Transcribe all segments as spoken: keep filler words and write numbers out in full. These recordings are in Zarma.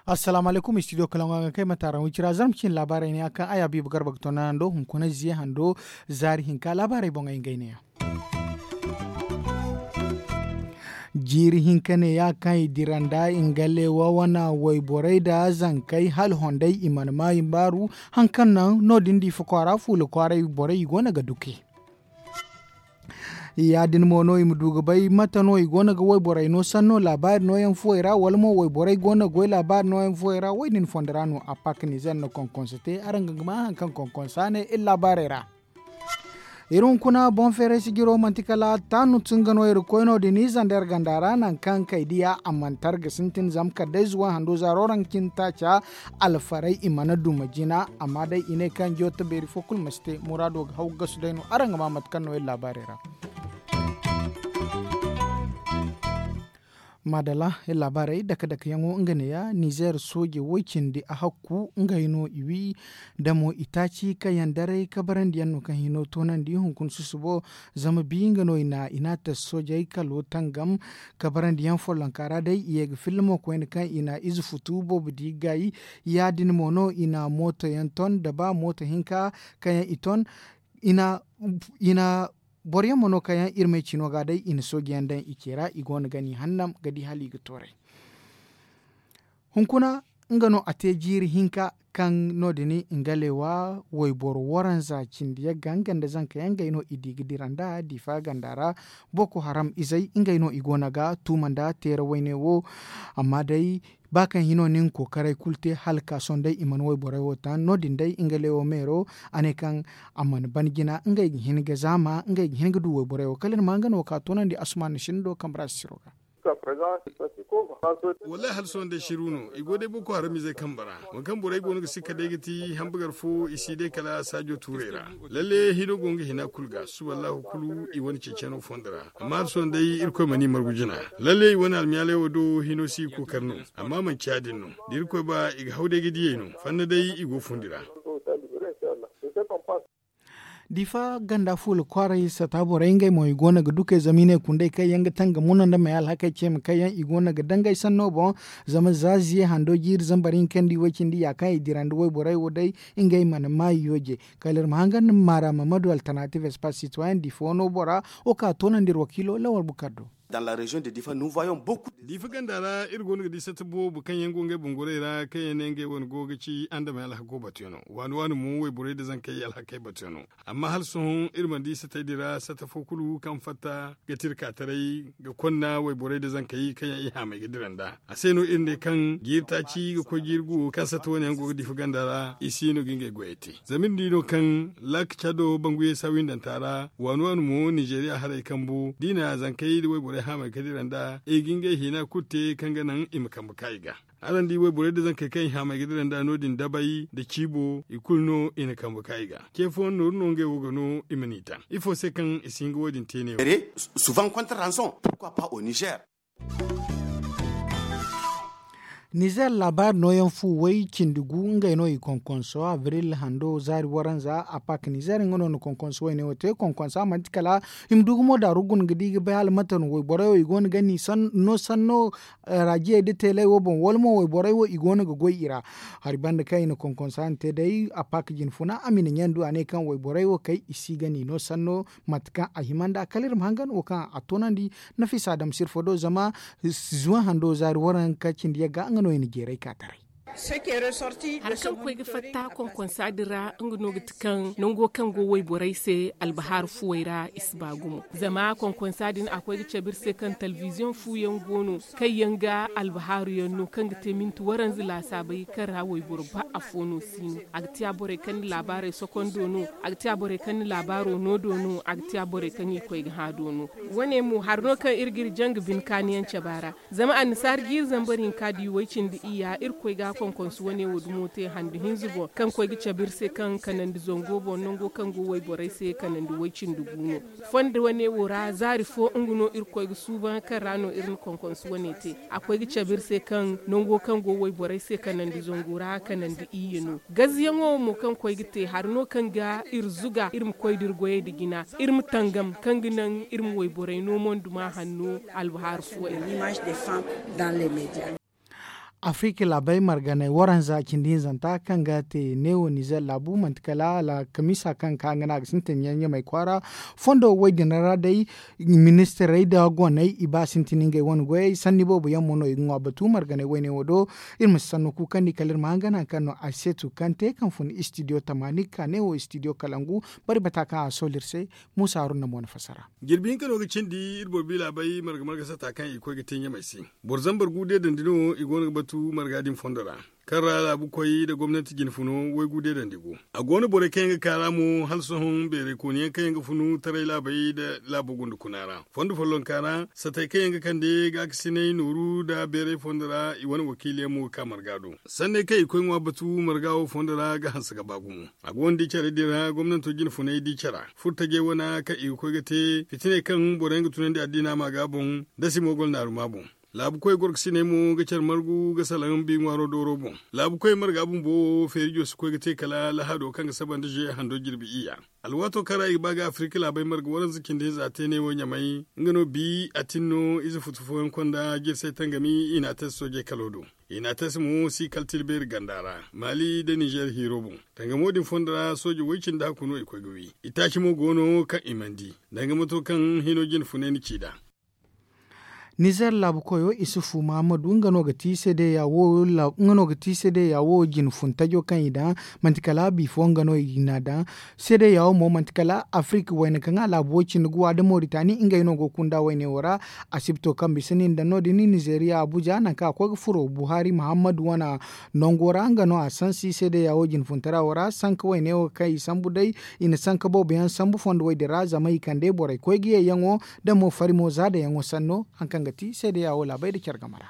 Assalaamu alaykum, studio kalaŋo a ga kay mate araŋ wicira zarma cine laabaarey ne a kaŋ ay habiibu garba ga tonda hando hunkuna ziye hando zaari hinka laabaarey boŋ ay ngey ne yaŋ. Jiiri hinka ne ya kaŋ i dira nda i nga leewa wana wayborey nda zankey hala hondey i mana ma i baaru hari kaŋ naŋ no- din diifa kwaara fuula kwaaray borey i go no ga duke. Ya- din mo no i ma du ga bay mate no i go no ga wayborey no sanno laabaari nooyaŋ fuwey ra wala mo wayborey go no ga goy laabaari nooyaŋ fuwey ra wo- din fondo ra no a pak nizer na konkonso te araŋ ga ma hari kaŋ konkonso a ne iri laabaarey ra. Iri hunkuna boŋ feeray sijiro manti kala taanu tunga no iri koy no- din i zander ganda ra nangu kaŋ kay diya a mana tar ga sintin zama kala day zuwa hando zaaro ra nga cine taaca alfaray i mana duma jina amma day i ne kaŋ joota beeri fo kulu ma si te muraado ga haw gasu day no araŋ ga ma mate kaŋ no iri laabaarey ra. Maadalla iri laabaarey dake dake yaŋo nga neeya nizer sooje woy cindi a hakku ngey no i wi da mo i taaci kaŋ yaŋ daray kabarandi yaŋ no kaŋ hino toonandi hunkuna susubo zama bi nga no i na i na a tas soojey kalo tangam kabarandi yaŋ follonka ra day i ye ga filla mo koyne kaŋ i na ize futu boobo di gay. Ya- din mo no i na mooto yaŋ ton da ba mooto hinka kaŋ yaŋ i ton i na boro yaŋ mo no kaŋ yaŋ iri ma ay cino ga day i na sooji yaŋ daŋ i ce ra i go no ga ni hannam ga di hala i ga tooray. Hunkuna nga no a te jiiri hinka kaŋ no- din nga leewa wayboro waranza cindi yagga nga nda zanka yaŋ gay no i di ga dira nda diifa ganda ra. Boko haram izey ngey no i go no ga tuuma nda teera wayne wo. Amma day ba kaŋ hino no i na kookaray kulu te hala ka sohõ day i mana wayborey wo taŋ no- din day nga leewo meero a ne kaŋ a mana ban jina ngey ga hin ga zaama ngey ga hin ga du wayborey wo kala iri ma nga no ka toonandi asuman sinda do kambe ra sisiro ga. Wallaahi hala sohõ day siru no i go day boko haram izey kambe ra. Waŋ kaŋ borey go no ga sikka day ga ti hambagar fo i si day kala saajo tuurey ra. Lalle hino go nga hina kulu ga suba allahu kulu i wane ceeceno fondo ra. Amma hala sohõ day irkoy mana i margu jina. Lalle i wane almiyaaley wo do hino si i kookari no. Amma manci ya- din no da irkoy ba i ga haw day ga diyey no fanna day i go fundi ra. Diifa ganda fuula kwaaray sata borey ngey mo i go no ga dukey zama i ne kundey kaŋ yaŋ ga tanga muna nda may alhakey ceema kaŋ yaŋ i go no ga dangay sanno boŋ. Zama za ziye hando jiiri zambar hinka nda i way cindi ya kaŋ i dira nda wayborey wo day ngey mana maayi yooje. Kala iri ma hangan nda maara mamadu alternative espace citoyen diifa wano bora wo ka toonandi iri wakiilo lawal bukar do. Diifa ganda ra iri go no ga di satta boobo kaŋ yaŋ go ngey bungurey ra kaŋ yaŋ ne ngey wane go ga ci andamey alhako batuyaŋo waani waani mo wayborey nda zankey alhakey batuyaŋo. Amma hala sohõ iri mana di sattey din ra satta fo kulu kaŋ fatta ga tira ka taray ga konna wayborey nda zankey kaŋ yaŋ i haamay ga dira nd'a. A se no iri ne kaŋ jiiri taaci ga koy jiiri guwo kaŋ satta wane yaŋ go ga diifa ganda ra i si no ga ngey goyey te. Zama iri di no kaŋ laaka cado banguyey saawindanta ra waani waani mo ninzeeriya haray kambu da i na zankey nda wayborey haamay ga dira nd'a i ga ngey hina kulu te kaŋ ga naŋ i ma kambe ka i ga. Araŋ di wayborey nda zankey kaŋ i haamay ga dira nd'a no- din dabay nda ciibo i kulu no i na kambe ka i ga. Ce fooyaŋ nooru no ngey wo ga no i ma n'i taŋ ifo se kaŋ i si hin ga wo- din te ne wo? Nizer laabaari nooyaŋ fu way cindi gu ngey no i konkonso abril hando zaari waranza a pak nizer nga no na konkonso wayne wo te konkonso a manti kala i ma du gumo daaru guna ga di ga bay hala mate no wayborey wo i go no ga ni no sanno raajiyey da teeley wo boŋ wala mo wayborey wo i go no ga goy i ra. Hari banda kaŋ i na konkonso a na te day a pak jinfuna a ma i na ɲandu a ne kaŋ wayborey wo kay i si ga ni no sanno mate kaŋ a hima nd'a kala iri ma hangan wo kaŋ a toonandi. Nafisa adama sirfo do zama zuwan hando zaari waranka cindi yagga nga no i na jeeray ka taray. Hari kaŋ koy ga fatta konkonsa din ra nga no ga ti kaŋ nango kaŋ go wayborey se albahaaru fuwey ra i si ba gumo. Zama konkonsa din a koy ga cabe iri se kaŋ talbiziyoŋ fu yaŋ go no kaŋ yaŋ ga albahaaru yaŋ no kaŋ ga te minti waranza laasaabey kaŋ ra wayboro ba afo no si no. A ga te a borey kaŋ na laabaarey sokondo no, a ga te a borey kaŋ na laabaaro no do no, a ga te a borey kaŋ i koy ga hã do no. Wane mo hari no kaŋ iri ga iri jaŋ ga bine kaaniyaŋ cabe a ra. Zama annasaara jiiri zambar hinka di way cindi iyya irkoy ga a Konkonsu wane wo dumo te handu hinza boŋ kaŋ koy ga cabe iri se kaŋ kanandi zango boŋ nango kaŋ go wayborey se kanandi way-cindi gu no. Fondo wane wo ra zaari fo nga no irkoy ga suuban kaŋ ra no iri na konkonsu wane te. A koy ga cabe iri se kaŋ nango kaŋ go wayborey se kanandi zango ra kanandi iyye no. Gazyaŋo mo kaŋ koy ga te hari no kaŋ ga iri zuga iri ma koy da iri goyey nda jina, iri ma tangam kaŋ ga naŋ iri ma wayborey no monduma hanno. Albahaari fooyaŋ. Afirika laabey marganay waranza cindi hinzanta kaŋ ga te neewo nizer laabu manti kala alkamisa kaŋ ka nga no a ga sintin ɲaɲamey kwaara. Fondo wo-din ra day, ministirey nda goney i ba sintin ngey wane goyey sanni boobo yaŋ mo no i ga ŋwa batu marganay wayne wo do. Iri ma si sanno kuukandi kala iri ma hangan hari kaŋ no a seetu kaŋ te kaŋ fun istidiyo tamaani ga ka neewo istidiyo kalangu. Bari bata kaŋ a sooli iri se. Muusa haruna mo na fassara. Jirbi hinka no ga cindi iri boro bi laabey marga marga sata kaŋ i koy ga te ɲamey se. Boro zambar gu deedandi no i go no ga batu marga din fondo ra, kaŋ ra laabu koy nda gomnanti jinfuno waygu deedandi go. A go no borey kaŋ yaŋ ga kaara mo hala sohõ beeray kooniyaŋ kaŋ yaŋ ga funu taray laabey nda laabo gunda kuna ra fondo follonka ra. Satey kaŋ yaŋ ga kande gaakasinay nooru nda beeray fondo ra i wane wakiiliyaŋ mo ga ka marga do. Sanney kaŋ i koy ŋwa batu marga wo fondo ra ga hanse ga ba gumo. A go no di care din ra gomnanto jinfunay di cara furtajey wane kaŋ i ga koy ga te fitiney kaŋ boroyaŋ ga tunandi addiina ma ga boŋ, da si mo goro naaruma boŋ. Laabu koy gorkasiney mo ga care margu ga salaŋ bi ŋwaaro dooro boŋ. Laabu koy marga bumbo wo feerijo si koy ga te kala lahado kaŋ ga saba nda zuwe hando jirbi iyya. Alwaato kaŋ ra i ga ba ga afirika laabey marga waranza cindi hinza te ne wo ɲamay nga no bi a tin no ize futu fooyaŋ konda jirsay tangami i na a tasi soojey kalo do. I na a tasi mo si kala tilbeeri ganda ra maali nda nizer hiiro boŋ. Tangamo din fondo ra sooje way-cindi hakku no i koy ga wi. Itaaci mo go no kaŋ i mana di danga mato kaŋ hino jinfunay na ci nd'a. Nizer laabu koyo isufu mahammadu nga no ga ti seedeya wo nga no ga ti seedeya wo jinfuntajo kaŋ i daŋ. Manti kala bifo nga no i na daŋ. Seedeya wo mo manti kala afirika wayna kaŋ a laabu wo cindi guwa nda moritani ngey no go ga kunda wayne wo ra. Asibto kaŋ bisa nin daŋ no- din nizeriya abuja nangu kaŋ a koy ga furo buhari mahammadu wane nango ra nga no a sansi seedeya wo jinfuntara wo ra sanka wayne wo kaŋ i sambu day. I na sanka boobo yaŋ sambu fondo wo- din ra zama i kande borey koy ga yeeyaŋo da mo fari mo zaadayaŋo sanno. Hari kaŋ ga ti seedeya wo laabey nda care game ra.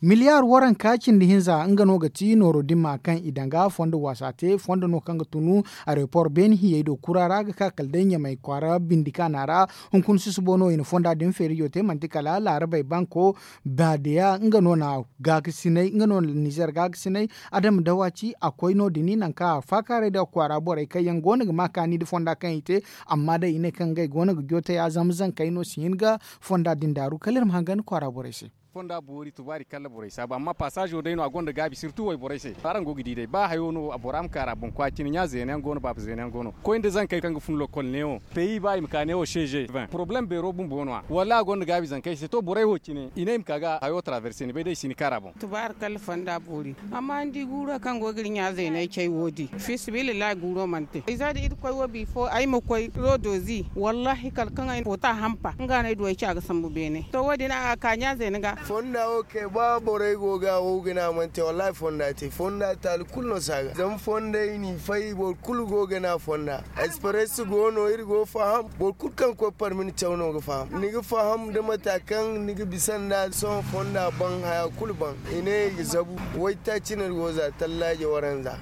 Miliyaar waranka cindi hinza nga no ga ti nooro dimma kaŋ i danga fondo waasa te fondo no kaŋ ga tunu aeroport beene hiyey do kura ra ga ka kala day ɲamay kwaara bindi kaana ra. Hunkuna susubo no i na fonda din feerijo te manti kala laarabey banko baadeya nga no na gaakasinay nga no na nizer gaakasinay. Adama dawaci a koy no- din nangu kaŋ a faakaaray nda kwaara borey kaŋ yaŋ go no ga ma kaani nda fonda kaŋ i te. Amma day i ne kaŋ ngey go no ga joote ya zama zankey no si hin ga fonda din daaru kala iri ma hangan kwaara borey se. Fonda boori tubaari kala borey saabu amma pasaazo day no a gonda gaabi sirtu wayborey se araŋ go ga di day ba hayo no bora ma kaara boŋ kwaacine ɲa zeena yaŋ go no baaba zeena yaŋ go no koy nda zankey kaŋ ga fun lokol neewo peyi ba i ma ka neewo seeze poroblem beero bumbo no- ya wallaahi a gonda gaabi zankey se to borey wo cine i ne i ma ka ga hayo taraverse ni bay day i si ni kaara boŋ. Tubaari kala fonda boori. Amma ni di guura kaŋ go ga iri ɲa zeeney cay wo- din fiisabilillahi guuro mana te ay za da irkoy wo bifo ay ma koy rodozi wallaahi kala kaŋ ay na foota hampa nga no ay du ay ci a ga sambu beene to wo- din a ga ka ɲa zeene ga. Fonda wo kay ba borey go ga wo ga ne a mana te wallaahi fonda te fonda taali kulu no si a ga zama fondey n'i fay boro kulu go ga ne a fonda. Espresso go no iri go faham boro kulu kaŋ ga koy parmi ni caw no ga faham ni ga faham da mata kaŋ ni ga bisa nd'a sohõ fonda ban haya kulu ban. I ne i ga zabu waytaaci no iri go za tallaaje waranza.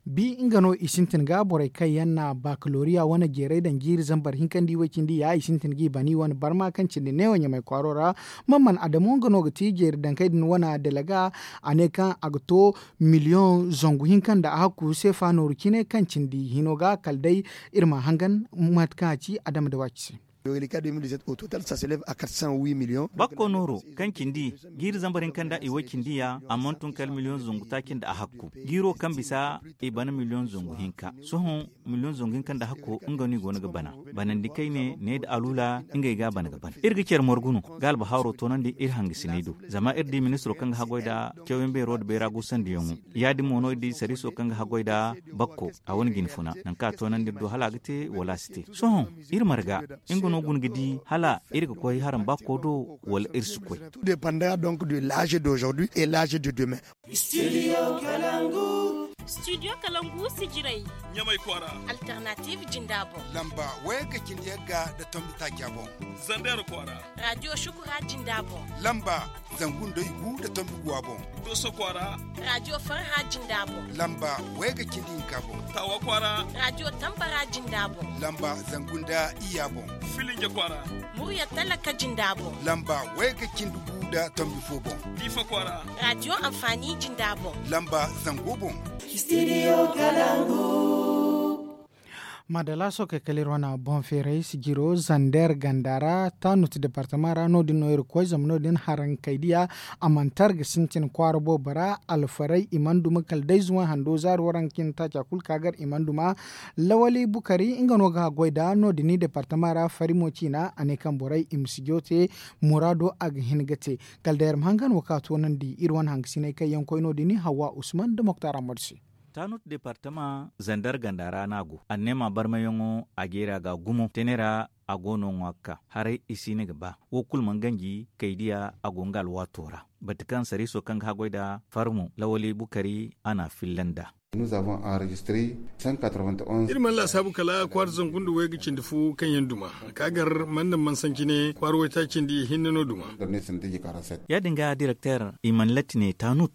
Bi nga no i sintin ga borey kaŋ yaŋ na bakaloriya wane jeeray daŋ jiiri zambar hinka nda i way cindi ya i sintin ga i bana i wane barma kaŋ cindi neewo ɲamay kwaaro ra. Mamman adamo nga no ga ti jeeri dankey din wane dalaga a ne kaŋ a ga to miliyoŋ zangu hinka nda a hakku seefa nooru cine kaŋ cindi hino ga kala day. Iri ma hangan mate kaŋ a ci adama da waaci se. Bakko nooro kaŋ cindi jiiri zambar hinka nda i way cindi ya a mana tun kala miliyoŋ zangu taaci nda a hakku jiiro kaŋ bisa i bana miliyoŋ zangu hinka sohõ miliyoŋ zangu hinka nda hakko nga no i go no ga bana. Banandi kayne ne nda alula ngey ga a bana ga bana iri ga care margu no ga albahaaro toonandi iri hangasiney do. Zama iri di ministiro kaŋ ga haggoy nda cawyaŋ beero nda bayra guusandiyaŋo ya- din mo no iri di sariiso kaŋ ga haggoy nda bakko a wane jinfuna nangu kaŋ a toonandi iri do hala a ga te wala a si te. Sohõ iri marga nga no guna ga di hala iri ga koy haram bakko do wala iri si koy. Depanda donc de l'âge d'aujourd'hui et l'âge de demain. Studio kalangu. Studio Kalangu sijirey. Ɲamay kwaara. Alternative jinda boŋ. Lamba wayagga cindi yagga nda tombi taaca boŋ. Zander kwaara. Radio Shukura jinda boŋ. Lamba zangu nda igu nda tombi guwa boŋ. Doso kwaara. Radio Farha jinda boŋ. Lamba wayagga cindi hinka boŋ. Tawa kwaara. Radio Tambara jinda boŋ. Lamba zangu nda iyya boŋ. Filinge kwaara. Murya talaka jinda boŋ. Lamba wayagga cindi gu nda tombi fo boŋ. Diifa kwaara. Radio Amfani jinda boŋ. Lamba zango boŋ. Studio Kalangu. Madala sookey kala iri wane boŋ feeray sijiro zander ganda ra tanut departama ra no- din no iri koy zama no- din harankey diya. A mana tar ga sintin kwaara boobo ra alfaray i mana duma kala day zuway hando zaari waranka cindi taaca kulu ka gar i mana duma. Lawali bukari nga no ga haggoy da no- din departama ra fari mo ciina a ne kaŋ borey i ma sijo te muraado a ga hin ga te. Kala day iri ma hangan wo ka toonandi iri wane hangasiney kaŋ yaŋ koy no- din hawa usman nda moktar amadu se. Tanut departama zander ganda ra no a go anneema barmayaŋo a jeera ga gumo tene ra. A go no ŋwa ga ka haray i si ni ga ba wo kulu mana ganji kay diya a go nga alwaato ra. Bati kaŋ sariiso kaŋ ga haggoy nda farmo lawali bukari a n'a filla nd'a. Iri mana laasaabu kala kwaara zangu nda wayga cindi fo kaŋ yaŋ duma ka gar mana naŋ mana sanci ne kwaara waytaaci cindi hinne no duma. Ya- din ga direkter i mana latti ne tanut.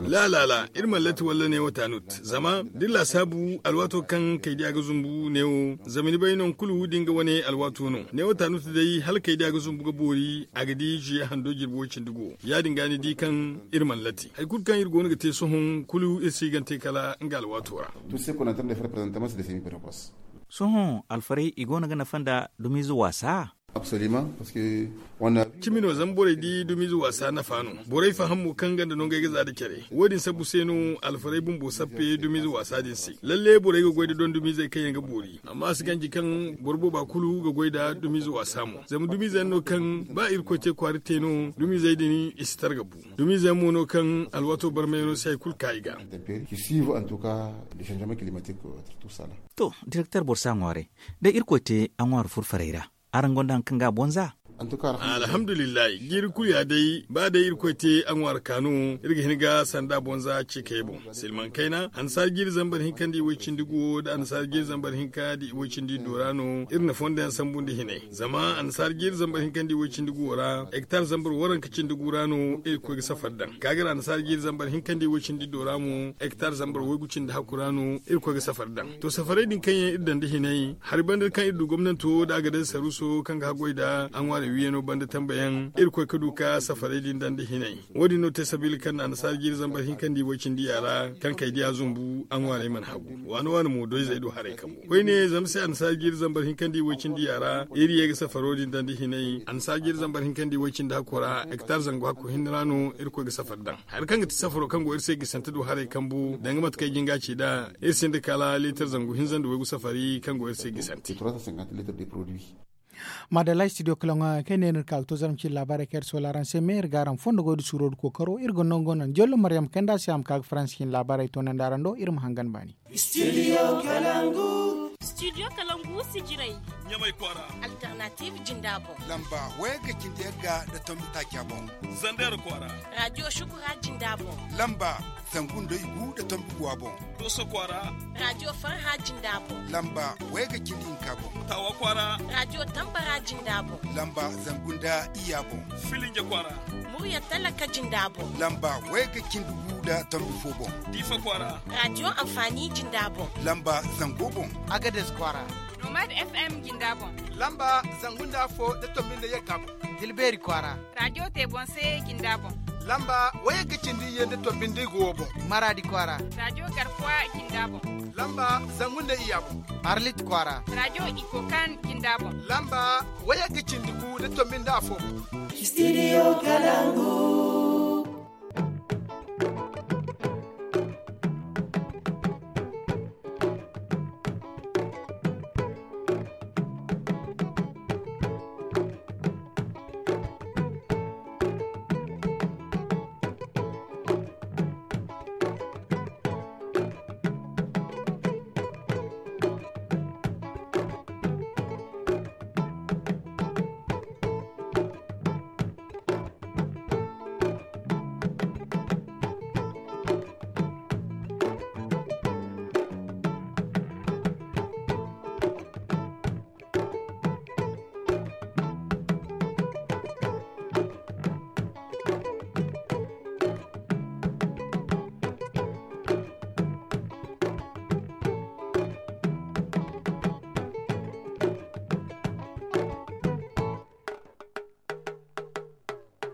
La la la iri mana latti walla neewo tanut zama da iri laasaabu alwaato kaŋ kaydiya ga zumbu neewo zama ni bay nangu kulu da nga wane alwaato no neewo tanut day hala kaydiya ga zumbu ga boori a ga di ziye hando jirbi way cindi go. Ya- din ga ni di kaŋ iri mana latti hari kulu kaŋ iri go no ga te sohõ kulu iri si ga ni te kala nga alwaato ra. Sohõ alfarey i go no ga nafa nda dumiize waasa. Cimi no zama borey di dumiize waasa nafa no. Borey faham mo kaŋ ganda no ngey ga za nda care wo- din sabbu se no alfarey bumbo sappe dumiize waasa din se. Lalle borey ga goy nda dondumiizey kaŋ yaŋ ga boori amma a si ganji kaŋ boro booba kulu ga goy nda dumiize waasa mo zama dumiize yaŋ no kaŋ ba irkoy te kwaara te no dumiizey din i si targa bu. Dumiize yaŋ mo no kaŋ alwaato barmayaŋo se hari kulu ka i ga. To direkter boro si a ŋwaaray da irkoy te a ŋwaari furfarey ra araŋ gonda hari kaŋ ga a bonza. Alhamdulillahi jiiri kulu ya day ba day irkoy te a ŋwaari kaanu iri ga hin ga sanda bonza ceekayey boŋ silmaŋ kayna annasaara jiiri zambar hinka nda iway cindi guwo nda annasaara jiiri zambar hinka nda iway cindi iddo ra no iri na fondo yaŋ sambu nda hinay zama annasaara jiiri zambar hinka nda iway cindi guwo ra hektar zambar waranka cindi gu ra no iri ga koy ga safari daŋ ka ga ra annasaara jiiri zambar hinka nda iway cindi iddo ra mo hektar zambar waygu cindi hakku ra no iri ga koy ga safari daŋ. To safarey din kaŋ yaŋ iri daŋ nda hinay hari banda kaŋ iri du gomnanto nda a ga day saruuso kaŋ ga haggoy nda a ŋwaarey wiiyano banda tambayaŋ iri ga koy ga du ka safarey din daŋ nda hinay. Wo- din no te sabiila kaŋ na annasaara jiiri zambar hinka nda iway cindi ya ra kaŋ kay diya zumbu a ŋwaarey mana hagu waana waana mo doyzey do haray kambu koyne zama se annasaara jiiri zambar hinka nda iway cindi ya ra iri ye ga safaro din daŋ nda hinay annasaara jiiri zambar hinka nda iway cindi hakko ra hektar zangu hakko hinne ra no iri ga koy ga safari daŋ. Hari kaŋ ga ti safaro kaŋ go iri se gisante do haray kambu danga mate kaŋ ay jin ga a ci nd'a iri sinda kala liitar zangu hinza nda waygu safari kaŋ go iri se gisante. Madalla studio kalaŋo yaŋ kaŋ ay ne no iri ka ga to zarma cine laabaarey kaŋ iri soola araŋ se me iri ga araŋ fondo goy nda suuro nda kookaro iri ga nango naŋ jollo maryam kayna nda a si a ma ka ga faransi cine laabaarey toonandi araŋ do iri ma hangan baani. Studio kalangu. Studio kalangu sijirey. Ɲamay kwaara. Alternative jinda boŋ. Lamba wayagga cindi yagga nda tombi taaca boŋ. Zander kwaara. Radio shukura jinda boŋ. Lamba zangu nda igu nda tombi guwa boŋ. Doso kwaara. Radio farha jinda boŋ. Lamba wayagga cindi hinka boŋ. Tawa kwaara. Radio tambara jinda boŋ. Lamba zangu nda iyya boŋ. Filinge kwaara. Murya talaka jinda boŋ. Lamba wayagga cindi gu nda tombi fo boŋ. Diifa kwaara. Radio amfani jinda boŋ. Lamba zango boŋ. Agades kwaara. Nomad fm jinda boŋ. Lamba zangu nda afo nda tombi nda yagga boŋ. Dilbeeri kwaara. Radio te boŋ se jinda boŋ. Lamba wayagga cindi iyye nda tombi nda igu wo boŋ. Maraadi kwaara. Radio garkuwa jinda boŋ. Lamba zangu nda iyya boŋ. Arlit kwaara. Radio ikokan jinda boŋ. Lamba wayagga cindi gu nda tombi nda afo boŋ. Studio kalangu.